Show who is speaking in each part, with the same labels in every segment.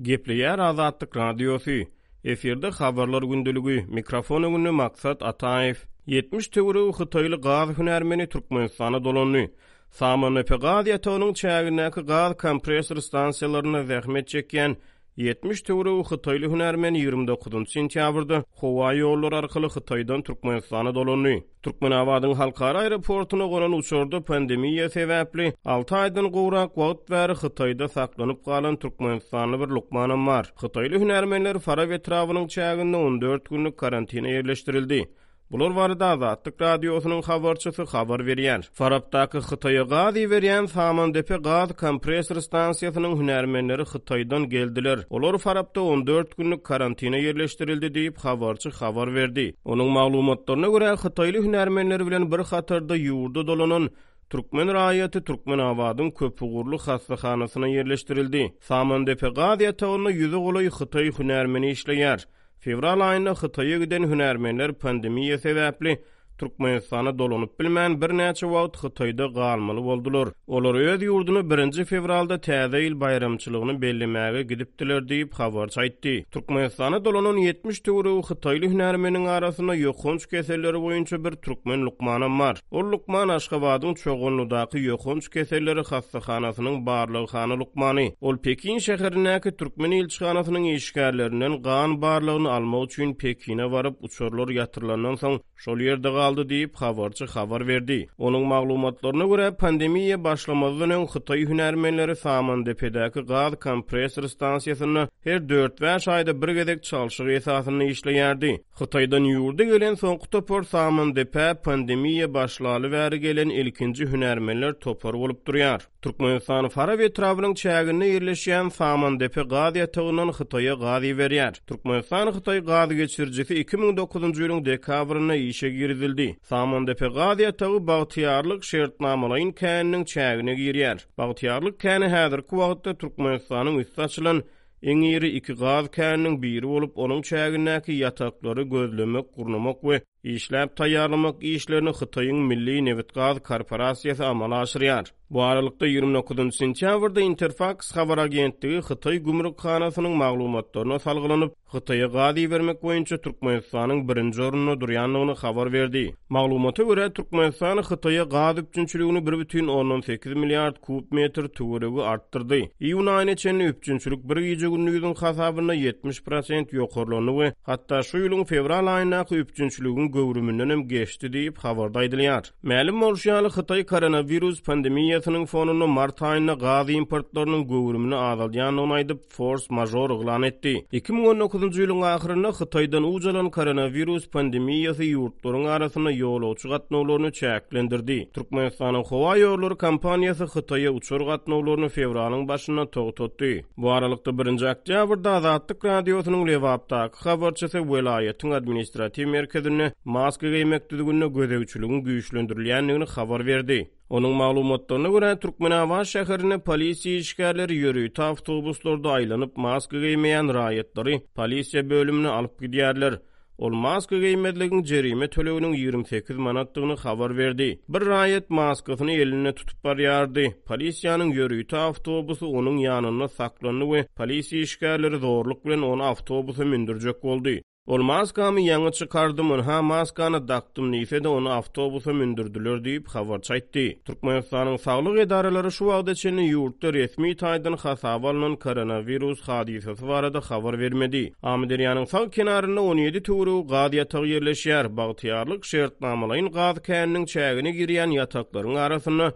Speaker 1: Gepleýär Azatlyk Radiosy, Efirde Habarlar gündeligi, mikrofon öňünde Maksat Ataýew. 70 töweregi hytaýly gaz hünärmeni Türkmenistana dolandy. Samandepe gaz ýatagynyň çägindäki gaz kompressor stansiýalarynda zähmet çekýän 70 töweregi hytaýly hünärmen 29 sentýabrda howa ýollary arkaly Hytaýdan Türkmenistana dolandy. Türkmenabadyň halkara aeroportuna gonan uçarda pandemiýa sebäpli alty aýdan gowrak wagt bäri Hytaýda saklanyp galan türkmenistanly bir lukmanam bar. Hytaýly hünärmenler Farap etrabynyň çäginde 14 günlük karantine ýerleşdirildi. Bular barada Azatlyk Radiosynyň habarçysy habar berýär. Farapdaky Hytaýa gaz iberýän Samandepe gaz kompressor stansiýasynyň hünärmenleri Hytaýdan geldiler. Olar Farapda 14 günlük karantine ýerleşdirildi diýip, habarçy habar berdi. Onuň maglumatlaryna görä, hytaýly hünärmenler bilen bir hatarda ýurda dolanan türkmen raýaty Türkmenabadyň köpugurly hassahanasyna ýerleşdirildi. Samandepe gaz ýatagynda ýüze golaý hytaý hünärmeni işleýär. Fewral aýynda Hytaýa giden hünärmenler pandemiýa sebäpli Türkmenistana dolanyp bilmän, birnäçe wagt Hytaýda galmaly boldular. Olar öz ýurduna birinji fewralda Täze ýyl baýramçylygyny bellemäge gidipdiler diýip, habarçy aýtdy. Türkmenistana dolanan 70 töweregi hytaýly hünärmeniň arasynda ýokanç keselleri boýunça bir türkmen lukmanam bar. Ol lukman Aşgabadyň Çoganlydaky ýokanç keselleri hassahanasynyň barlaghana lukmany. Ol Pekin şäherindäki türkmen ilçihanasynyň işgärlerinden gan barlagyny almak üçin Pekine baryp, uçarlar ýatyrylandan soň, şol ýerde galdy diýip, habarçy habar berdi. Onuň maglumatlaryna görä, pandemiýa başlamazdan öň hytaý hünärmenleri Samandepedäki gaz kompressor stansiýasynda her dört-bäş aýda bir gezek çalşyk esasynda işleýärdi. Hytaýdan ýurda gelen soňky topar Samandepä pandemiýa başlaly bäri gelen ilkinji hünärmenler topary bolup durýar. Türkmenistan Farap etrabynyň çäginde ýerleşýän Samandepe gaz ýatagyndan Hytaýa gaz iberýär. Türkmenistan-Hytaý gaz geçirijisi 2009-njy ýylyň dekabrynda işe girizildi. Samandepe gaz ýatagy Bagtyýarlyk şertnamalaýyn käniniň çägine girýär. Bagtyýarlyk käni häzirki wagtda Türkmenistanyň üsti açylan iň iri iki gaz käniniň biri bolup, onuň çägindäki ýataklary gözlemek, gurnamak we Işläp taýýarlamak işlerini Hytaýyň Milli nebitgaz korporasiýasy amala aşyrýar. Bu aralykda, 29 sentýabrda Interfaks habar agentligi Hytaý gümrükhanasynyň maglumatlaryna salgylanyp, Hytaýa gaz ibermek boýunça Türkmenistanyň birinji orunda durýandygyny habar berdi. Maglumata görä, Türkmenistan Hytaýa gaz üpjünçiligini 1,8 milliard kub metr töweregi artdyrdy. Iýun aýyna çenli üpjünçilik bir gije-gündiziň hasabynda 70 prosent ýokarlandy we hatda şu ýylyň fewral aýyndaky üpjünçiligiň göwrümindenem geçdi diýip, habarda aýdylýar. Mälim bolşy ýaly, Hytaý koronawirus pandemiýasynyň fonunda mart aýynda gaz importlarynyň göwrümini azaldýandygyny aýdyp, fors-mažor yglan etdi. 2019-njy ýylyň ahyrynda Hytaýdan uç alan koronawirus pandemiýasy ýurtlaryň arasynda ýolagçy gatnawlaryny çäklendirdi. Türkmenistanyň howa ýollary kompaniýasy Hytaýa uçar gatnawlaryny fewralyň başynda togtatdy. Bu aralykda, birinji oktýabrda Azatlyk Radiosynyň Lebapdaky habarçysy welaýatyň administratiw merkezinde maska geýmek düzgünine gözegçiligiň güýçlendirilýändigini habar berdi. Onuň maglumatlaryna görä, Türkmenabat şäherinde polisiýa işgärleri ýörite awtobuslarda aýlanyp, maska geýmeýän raýatlary polisiýa bölümine alyp gidýärler. Ol maska geýmezligiň jerime töleginiň 28 manatdygyny habar berdi. Bir raýat maskasyny elinde tutup barýardy. Polisiýanyň ýörite awtobusy onuň ýanynda saklandy we polisiýa işgärleri zorluk bilen ony awtobusa mündürjek boldy. Ol maskamy ýaňy çykardym, ynha maskany dakdym diýse-de, ony awtobusa mündürdiler diýip, habarçy aýtdy. Türkmenistanyň saglyk edaralary şu wagta çenli ýurtda resmi taýdan hasaba alnan koronawirus hadysasy barada habar bermedi. Amyderýanyň sag kenarynda 17 töweregi gaz ýatagy ýerleşýär. Bagtyýarlyk şertnamalaýyn gaz käniniň çägine girýän ýataklaryň arasynda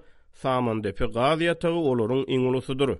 Speaker 1: Samandepe gaz ýatagy olaryň iň ulusydyr.